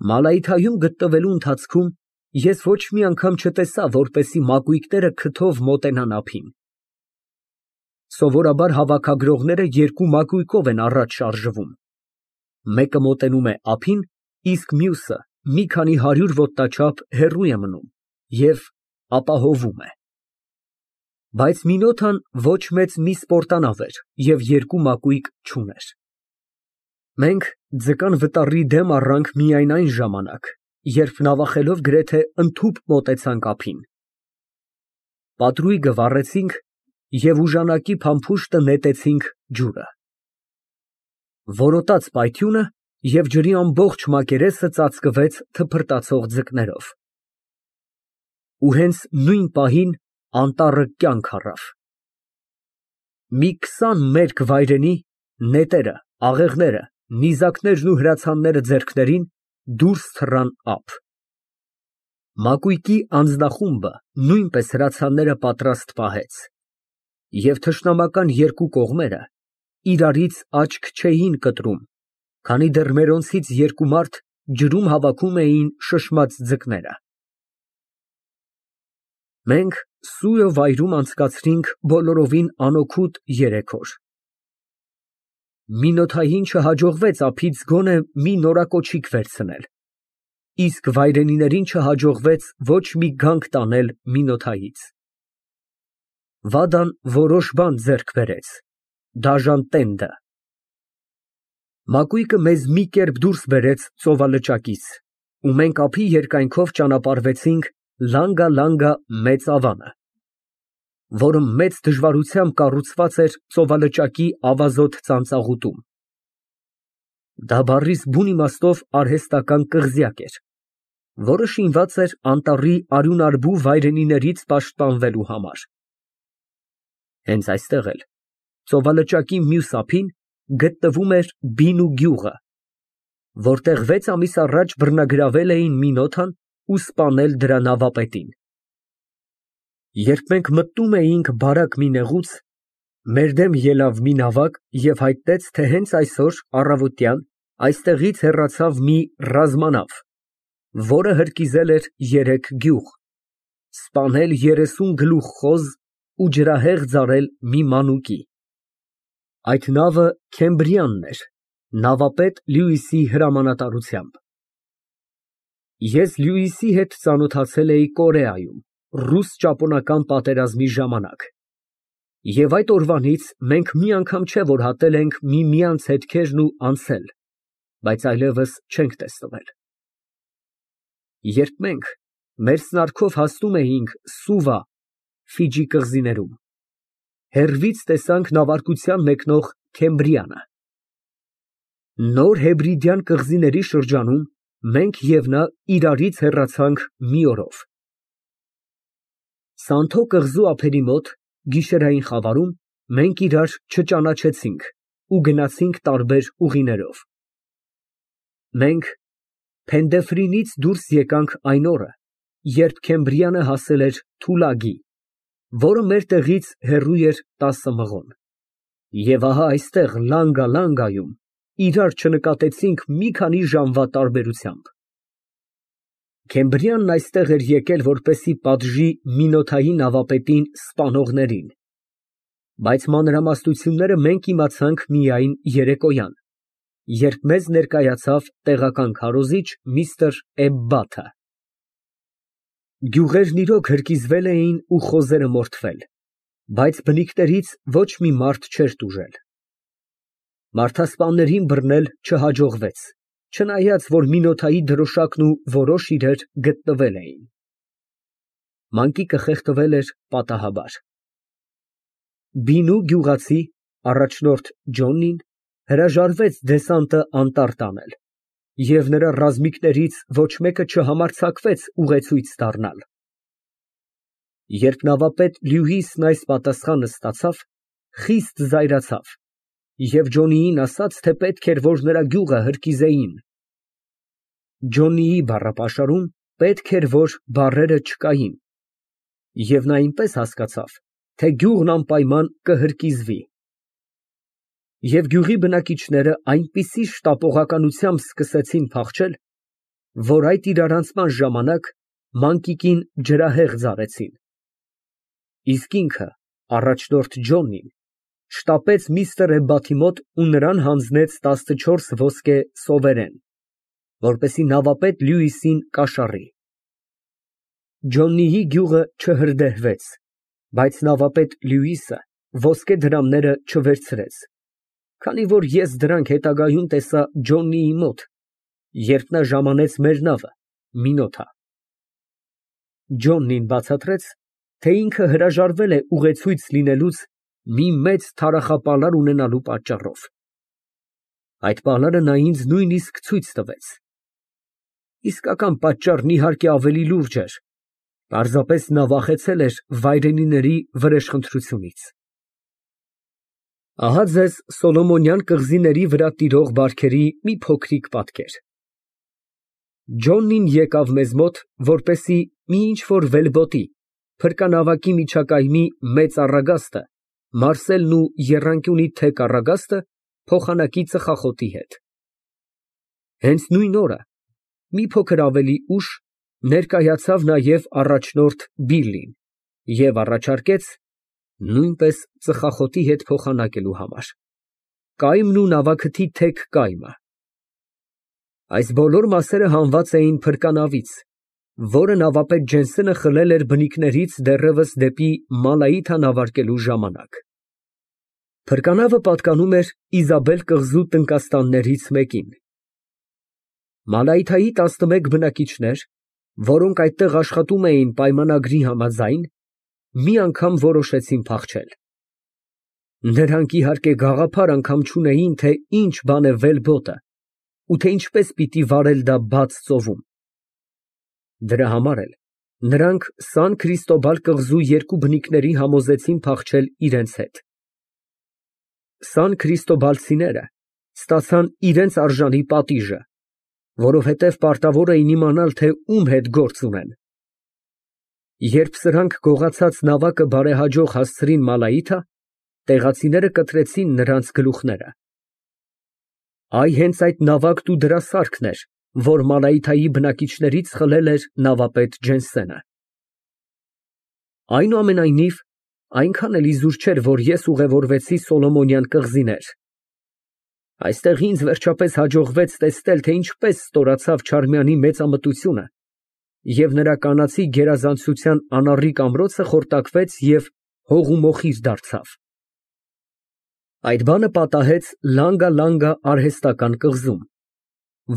Մալայթայում գտնվելու ընթացքում ես ոչ մի անգամ չտեսա, որպեսզի մակույկները քթով մոտենան ափին։ Սովորաբար հավաքագրողները երկու մակույկով են առաջ շարժվում, մեկը մոտենում է ափին, իսկ մյուսը մի քանի հարյուր ոտնաչափ հեռու է մնում և ապահովում է։ Բայց Մինոթան ոչ մեծ մի սպորտանավ էր և երկու մակույկ չուներ։ Մենք ձկան վտարի դեմ առանք միայն այն ժամանակ, երբ նավախելով գրեթե ընդհուպ մոտեցանք ափին։ Պատրույգը վառեցինք և ուժանակի փամփուշտը նետեցինք ջուրը։ Որոտաց պայթյունը և ջրի ամբողջ մակերեսը ծածկվեց թփրտացող ձկներով։ Ու հենց նույն պահին անտառը կյանք առավ։ Մի 20 մերկ վայրենի, նետերը, աղեղները, նիզակներն ու հրացանները ձեռքներին, դուրս թռան ափ։ Մակույկի անձնախումբը նույնպես հրացանները պատրաստ պահեց, և թշնամական երկու կողմերը իրարից աչք չէին կտրում, քանի դեռ մերոնցից երկու մարդ ջրում հավաքում էին շշմած ձկները։ Մենք Սուո վայրում անցկացրինք բոլորովին անօգուտ 3 օր։ Մինոթային չհաջողվեց ափից գոնե մի նորակոչիկ վերցնել, իսկ վայրենիներին չհաջողվեց ոչ մի գանք տանել Մինոթայից։ Վադան որոշ բան ձեռք բերեց, դաժան տենդը։ Մակույկը մեզ մի կերպ դուրս բերեց ծովալճակից, ու մենք ափի երկայնքով ճանապարհվեցինք Լանգա մեծ ավանը, որը մեծ դժվարությամբ կառուցված էր ծովալճակի ավազոտ ծանծաղուտում։ Դա բառիս բուն իմաստով արհեստական կղզյակ էր, որը շինված էր անտառի արյունարբու վայրենիներից պաշտպանվելու համար։ Հենց այստեղ էլ, ծովալճակի մյուս ափին, գտնվում էր Բինու գյուղը, որտեղ 6 ամիս առաջ բռնագրավել էին Մինոթան ու սպանել դրա նավապետին։ Երբ մենք մտնում էինք բարակ մի նեղուց, մեր դեմ ելավ մի նավակ և հայտնեց, թե հենց այսօր առավոտյան այստեղից հեռացավ մի ռազմանավ, որը հրկիզել էր 3 գյուղ, սպանել 30 գլուխ խոզ ու ջրահեղ ձարել մի մանուկի։ Այդ նավը Քեմբրիանն էր, նավապետ Լյուիսի հրամանատարությամբ։ Ես Լյուիսի հետ ծանոթացել էի Կորեայում, ռուս֊ճապոնական պատերազմի ժամանակ, և այդ օրվանից մենք մի անգամ չէ, որ հատել ենք միմյանց հետքերն ու անցել, բայց այլևս չենք տեսնվել։ Երբ մենք մեր սնարքով հասնում էինք Սուվա (Ֆիջի կղզիներում), հեռվից տեսանք նավարկության մեկնող Քեմբրիանը։ Նոր Հեբրիդյան կղզիների շրջանում մենք և նա իրարից հեռացանք մի օրով։ Սանթո կղզու ափերի մոտ, գիշերային խավարում, մենք իրար չճանաչեցինք ու գնացինք տարբեր ուղիներով։ Մենք Փենդեֆրինից դուրս եկանք այն օրը, երբ Քեմբրիանը հասել էր Թուլագի, որը մեր տեղից հեռու էր 10 մղոն, և ահա այստեղ Լանգայում իրար չնկատեցինք մի քանի ժամվա տարբերությամբ։ Քեմբրիանն այստեղ էր եկել որպեսզի պատժի Մինոթայի նավապետին սպանողներին, բայց մանրամասնությունները մենք իմացանք միայն երեկոյան, երբ մեզ ներկայացավ տեղական քարոզիչ միստր Էբբաթը։ Գյուղերն իրոք հրկիզվել էին ու խոզերը մորթվել, բայց բնիկներից ոչ մի մարդ չէր տուժել։ Մարդասպաններին բռնել չհաջողվեց, չնայած որ Մինոթայի դրոշակն ու որոշ իրեր գտնվել էին։ Մանկիկը խեղդվել էր պատահաբար։ Բինու գյուղացի առաջնորդ Ջոնին հրաժարվեց դեսանտը անտառ տանել, և նրա ռազմիկներից ոչ մեկը չհամարձակվեց ուղեցույց դառնալ։ Երբ նավապետ Լյուիսն այս պատասխանը ստացավ, խիստ զայրացավ և Ջոնիին ասաց, թե պետք էր, որ նրա գյուղը հրկիզեին։ Ջոնիի բառապաշարում պետք էր, որ բառերը չկային, և նա այնպես հասկացավ, թե գյուղն անպայման կհրկիզվի։ Եվ գյուղի բնակիչները այնպիսի շտապողականությամբ սկսեցին փախչել, որ այդ իրարանցման ժամանակ մանկիկին ջրահեղձ արեցին։ Իսկ ինքը, առաջնորդ Ջոնին, շտապեց միստր Էբբաթի մոտ ու նրան հանձնեց 14 ոսկե սովերեն, որպեսզի նավապետ Լյուիսին կաշառի։ Ջոննիի գյուղը չհրդեհվեց, բայց նավապետ Լյուիսը ոսկե դրամները չվերցրեց, քանի որ ես դրանք հետագայում տեսա Ջոննիի մոտ, երբ նա ժամանեց մեր նավը Մինոթա։ Ջոննին բացատրեց, թե ինքը հրաժարվել է ուղեցույց լինելուց մի մեծ թարախապալար ունենալու պատճառով։ Այդ պալարը նա ինձ նույնիսկ ցույց տվեց։ Իսկական պատճառն իհարկե ավելի լուրջ էր, պարզապես նա վախեցել էր վայրենիների վրեժխնդրությունից։ Ահա ձեզ Սոլոմոնյան կղզիների վրա տիրող բարքերի մի փոքրիկ պատկեր։ Ջոննին եկավ մեզ մոտ, որպեսզի մի ինչ֊որ վելբոտի, փրկանավակի միջակայմի մեծ առագաստը, մարսելն ու եռանկյունի թեք առագաստը փոխանակի ծխախոտի հետ։ Հենց նույն օրը, մի փոքր ավելի ուշ, ներկայացավ նաև առաջնորդ Բիլլին և առաջարկեց նույնպես ծխախոտի հետ փոխանակելու համար կայմն ու նավաքթի թեք կայմը։ Այս բոլոր մասերը հանված էին փրկանավից, որը նավապետ Ջենսենը խլել էր բնիկներից դեռևս դեպի Մալայիթա նավարկելու ժամանակ։ Փրկանավը պատկանում էր Իզաբել կղզու տնկաստաններից մեկին։ Մալայիթայի 11 բնակիչներ, որոնք այդտեղ աշխատում էին պայմանագրի համաձայն, մի անգամ որոշեցին փախչել։ Նրանք իհարկե գաղափար անգամ չունեին, թե ինչ բան է վելբոտը ու թե ինչպես պիտի վարել դա բաց ծովում։ Դրա համար էլ նրանք Սան Քրիստոբալ կղզու երկու բնիկների համոզեցին փախչել իրենց հետ։ Սան Քրիստոբալցիները ստացան իրենց արժանի պատիժը, որովհետև պարտավոր էին իմանալ, թե ում հետ գործ ունեն։ Երբ սրանք գողացած նավակը բարեհաջող հասցրին Մալայիթա, տեղացիները կտրեցին նրանց գլուխները։ Այ հենց այդ նավակն ու դրա սարքն էր, որ Մալայիթայի բնակիչներից խլել էր նավապետ Ջենսենը։ Այնուամենայնիվ, այնքան էլ իզուր չէր, որ ես ուղևորվեցի Սոլոմոնյան կղզիներ։ Այստեղ ինձ վերջապես հաջողվեց տեսնել, թե ինչպես ստորացավ Չարմյանի մեծամտությունը, և նրա կանացի գերազանցության անառիկ ամրոցը խորտակվեց և հող ու մոխիր դարձավ։ Այդ բանը պատահեց Լանգա արհեստական կղզում,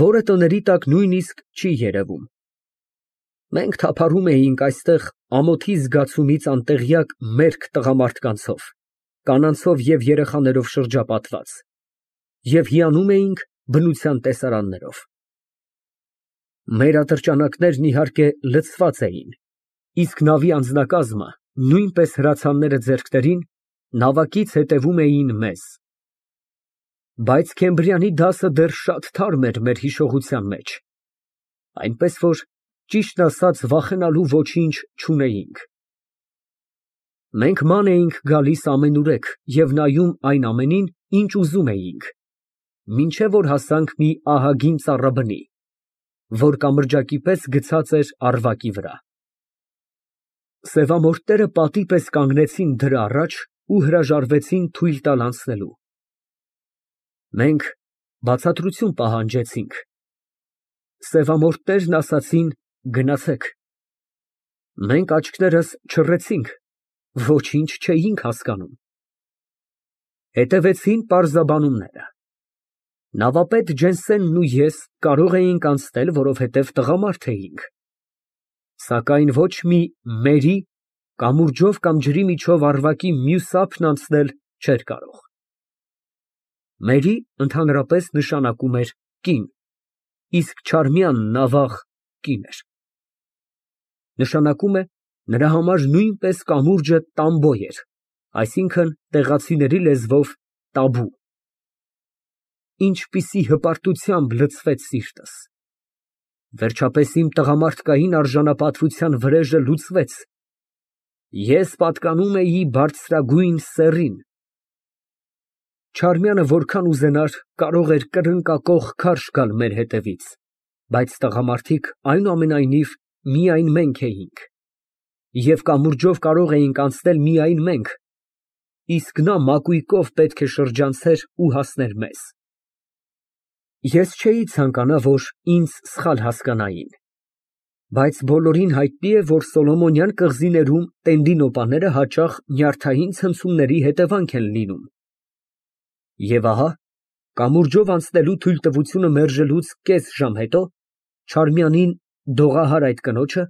որը տների տակ նույնիսկ չի երևում։ Մենք թափառում էինք այստեղ ամոթի զգացումից անտեղյակ մերկ տղամարդկանցով, կանանցով և երեխաներով շրջապատված և հիանում էինք բնության տեսարաններով։ Մեր ատրճանակներն իհարկե լցված էին, իսկ նավի անձնակազմը, նույնպես հրացանները ձեռքներին, նավակից հետևում էին մեզ։ Բայց Քեմբրիանի դասը դեռ շատ թարմ էր մեր հիշողության մեջ, այնպես որ, ճիշտն ասած, վախենալու ոչինչ չունեինք։ Մենք ման էինք գալիս ամենուրեք և նայում այն ամենին, ինչ ուզում էինք, մինչև որ հասանք մի ահագին ծառաբնի, որ կամրջակի պես գցած էր առվակի վրա։ Սևամորթները պատի պես կանգնեցին դրա առաջ ու հրաժարվեցին թույլ տալ անցնելու։ Մենք բացատրություն պահանջեցինք։ Սևամորթներն ասացին. «Գնացեք»։ Մենք աչքներս չռեցինք, ոչինչ չէինք հասկանում։ Հետևեցին պարզաբանումները։ Նավապետ Ջենսենն ու ես կարող էինք անցնել, որովհետև տղամարդ էինք, սակայն ոչ մի Մերի կամուրջով կամ ջրի միջով առվակի մյուս ափն անցնել չէր կարող։ Մերի ընդհանրապես նշանակում էր կին, իսկ Չարմյանն, ավաղ, կին էր։ Նշանակում է, նրա համար նույնպես կամուրջը տամբո էր, այսինքն՝ տեղացիների լեզվով տաբու։ Ինչպիսի հպարտությամբ լցվեց սիրտս։ Վերջապես իմ տղամարդկային արժանապատվության վրեժը լուծվեց։ Ես պատկանում էի բարձրագույն սեռին։ Չարմյանը որքան ուզենար, կարող էր կրկնակոխ քարշ գալ մեր հետևից, Բայց տղամարդիկ այնուամենայնիվ միայն մենք էինք, և կամուրջով կարող էինք անցնել միայն մենք, իսկ նա մակույկով պետք է շրջանցեր ու հասներ մեզ։ Ես չէի ցանկանա, որ ինձ սխալ հասկանային, բայց բոլորին հայտնի է, որ Սոլոմոնյան կղզիներում տենդինոպաները հաճախ նյարդային ցնցումների հետևանք են լինում։ Եվ ահա, կամուրջով անցնելու թույլտվությունը մերժելուց կես ժամ հետո Չարմյանին, դողահար այդ կնոջը,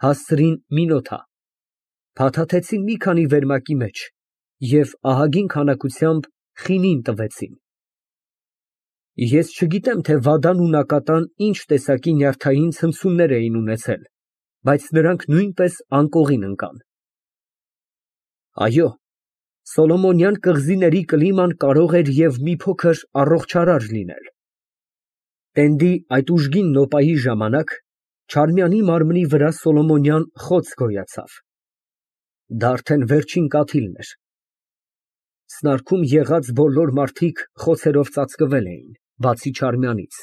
հասցրին Մինոթա, փաթաթեցին մի քանի վերմակի մեջ և ահագին քանակությամբ խինին տվեցին։ Ես չգիտեմ, թե վադան ու նակատան ինչ տեսակի նյարդային ցնցումներ էին ունեցել, բայց նրանք նույնպես անկողին ընկան։ Այո, Սոլոմոնյան կղզիների կլիման կարող էր և մի փոքր առողջարար լինել։ Տենդի այդ ուժգին նոպայի ժամանակ Չարմյանի մարմնի վրա Սոլոմոնյան խոց գոյացավ։ Դա արդեն վերջին կաթիլն էր։ Սնարքում եղած բոլոր մարդիկ խոցերով ծածկվել էին, բացի Չարմյանից։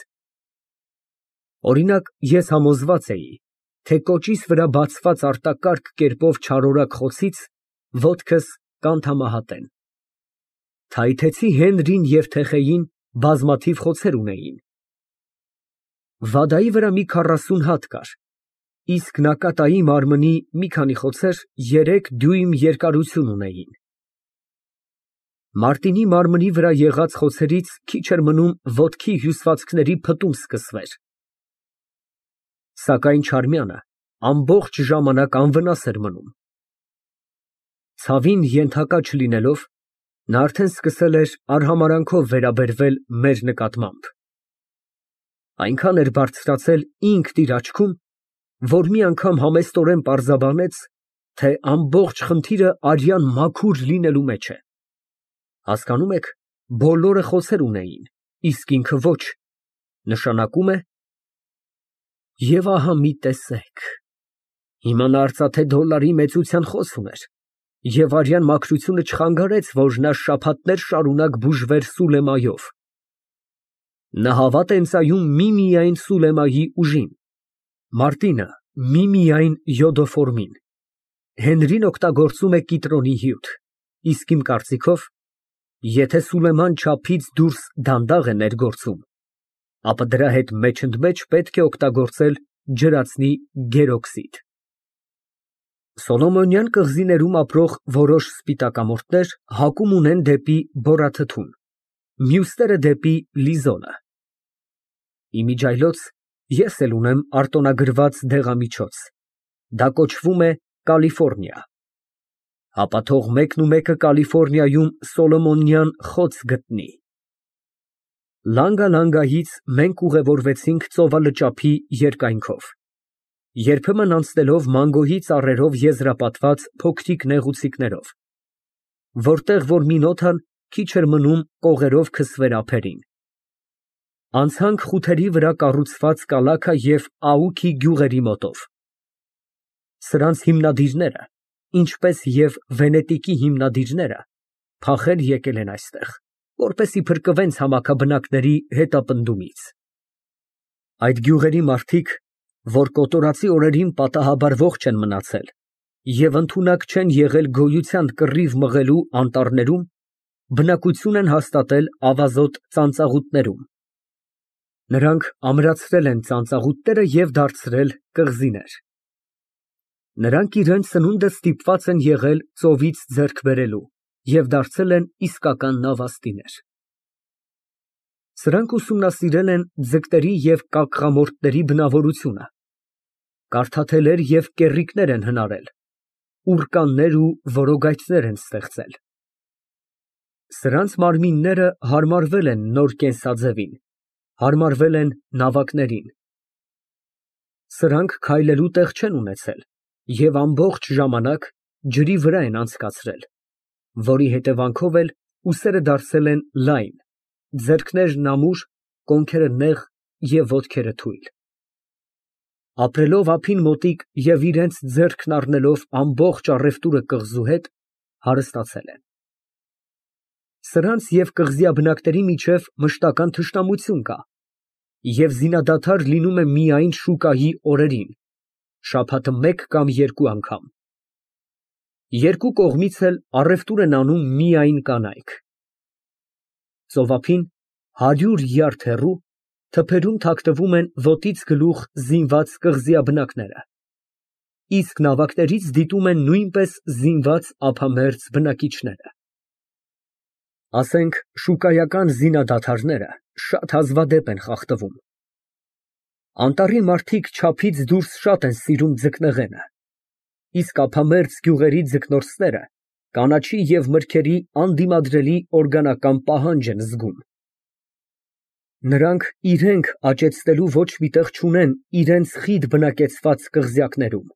Օրինակ, ես համոզված էի, թե կոճիս վրա բացված արտակարգ կերպով չարորակ խոցից ոտքս կանթամահատեն։ Թայթեցի Հենրին և Թեխեին բազմաթիվ խոցեր ունեին։ Վադայի վրա մի 40 հատ կար, իսկ նակատայի մարմնի մի քանի խոցեր 3 դյույմ երկարություն ունեին։ Մարտինի մարմնի վրա եղած խոցերից քիչ էր մնում ոտքի հյուսվածքների փտում սկսվեր։ Սակայն Չարմյանը ամբողջ ժամանակ անվնաս էր մնում։ Ցավին ենթակա չլինելով, նա արդեն սկսել էր արհամարհանքով վերաբերվել մեր նկատմամբ։ Այնքան էր բարձրացել ինքն իր աչքում, որ մի անգամ համեստորեն պարզաբանեց, թե ամբողջ խնդիրը արյան մաքուր լինելու մեջ է։ Հասկանում եք, բոլորը խոցեր ունեին, իսկ ինքը ոչ, նշանակում է… Եվ ահա մի տեսեք, հիմա նա արծաթե դոլարի մեծության խոս ուներ, և արյան մաքրությունը չխանգարեց, որ նա շաբաթներ շարունակ բուժվեր Սուլեմայով։ Նա հավատ է ընծայում միմիայն Սուլեմայի ուժին, Մարտինը միմիայն յոդոֆորմին, Հենրին օգտագործում է կիտրոնի հյութ, իսկ իմ կարծիքով, եթե Սուլեման չափից դուրս դանդաղ է ներգործում, ապա դրա հետ մեջընդմեջ պետք է օգտագործել ջրածնի գերօքսիդ։ Սոլոմոնյան կղզիներում ապրող որոշ սպիտակամորթներ հակում ունեն դեպի բորաթթուն, մյուսները դեպի լիզոնը։ Իմիջիայլոց ես էլ ունեմ արտոնագրված դեղամիջոց, դա կոչվում է Կալիֆոռնիա։ Ապա թող մեկնումեկը Կալիֆոռնիայում Սոլոմոնյան խոց գտնի։ Լանգալանգայից մենք ուղևորվեցինք ծովալճափի երկայնքով, երբեմն անցնելով մանգոյի ծառերով եզրապատված փոքրիկ նեղուցիկներով, որտեղ որ Մինոթան քիչ էր մնում կողերով քսվեր ափերին։ Անցանք խութերի վրա կառուցված Կալաքա և Աուքի գյուղերի մոտով։ Սրանց հիմնադիրները, ինչպես և Վենետիկի հիմնադիրները, փախել եկել են այստեղ, որպեսզի փրկվեն ցամաքաբնակների հետապնդումից։ Այդ գյուղերի մարդիկ, որ կոտորածի օրերին պատահաբար ողջ են մնացել և ընդունակ չեն եղել գոյության կռիվ մղելու անտառներում, բնակություն են հաստատել ավազոտ ծանծաղուտներում։ Նրանք ամրացրել են ծանծաղուտները և դարձրել կղզիներ։ Նրանք իրենց սնունդը ստիպված են եղել ծովից ձեռք բերելու և դարձել են իսկական նավաստիներ։ Սրանք ուսումնասիրել են ձկների և կակղամորթների բնավորությունը, կարդաթելեր և կեռիկներ են հնարել, ուռկաններ ու որոգայթներ են ստեղծել։ Սրանց մարմինները հարմարվել են նոր կենսաձևին, հարմարվել են նավակներին։ Սրանք քայլելու տեղ չեն ունեցել և ամբողջ ժամանակ ջրի վրա են անցկացրել, որի հետևանքով էլ ուսերը դարձել են լայն, ձեռքներն ամուր, կոնքերը նեղ և ոտքերը թույլ։ Ապրելով ափին մոտիկ և իրենց ձեռքն առնելով ամբողջ առևտուրը կղզու հետ, հարստացել են։ Սրանց և կղզիաբնակների միջև մշտական թշնամություն կա, և զինադադար լինում է միայն շուկայի օրերին, շաբաթը մեկ կամ երկու անգամ։ Երկու կողմից էլ առևտուր են անում միայն կանայք։ Ծովափին 100 յարդ հեռու թփերում թաքնվում են ոտից գլուխ զինված կղզիաբնակները, իսկ նավակներից դիտում են նույնպես զինված ափամերձ բնակիչները։ Ասենք շուկայական զինադադարները շատ հազվադեպ են խախտվում։ Անտառի մարդիկ չափից դուրս շատ են սիրում ձկնեղենը, իսկ ափամերձ գյուղերի ձկնորսները կանաչի և մրգերի անդիմադրելի օրգանական պահանջ են զգում։ Նրանք իրենք աճեցնելու ոչ մի տեղ չունեն իրենց խիտ բնակեցված կղզյակներում։